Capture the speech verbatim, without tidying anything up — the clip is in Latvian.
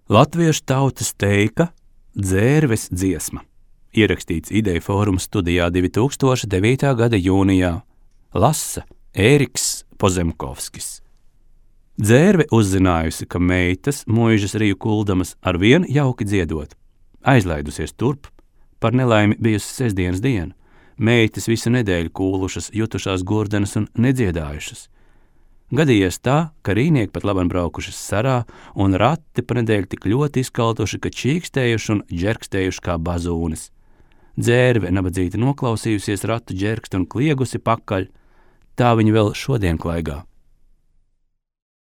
Latviešu tautas teika Dzērves dziesma. Ierakstīts Ideja fóruma studijā divi tūkstoši devītā gada jūnijā. Lasa Ēriks Pozemkovskis. Dzērve uzzinājusi, ka meitas muižas riju kuldamas ar vien jauki dziedot. Aizlaidusies turp, par nelaimi bijusi sestdienas diena. Meitas visu nedēļu kūlušas, jutušās gurdenas un nedziedājušas. Gadījies tā, ka rīnieki pat labam braukušas sarā un rati pa nedēļu tik ļoti izkaltuši, ka čīkstējuši un džerkstējuši kā bazūnes. Dzērve nabadzīti noklausījusies ratu džerkst un kliegusi pakaļ, tā viņa vēl šodien klaigā.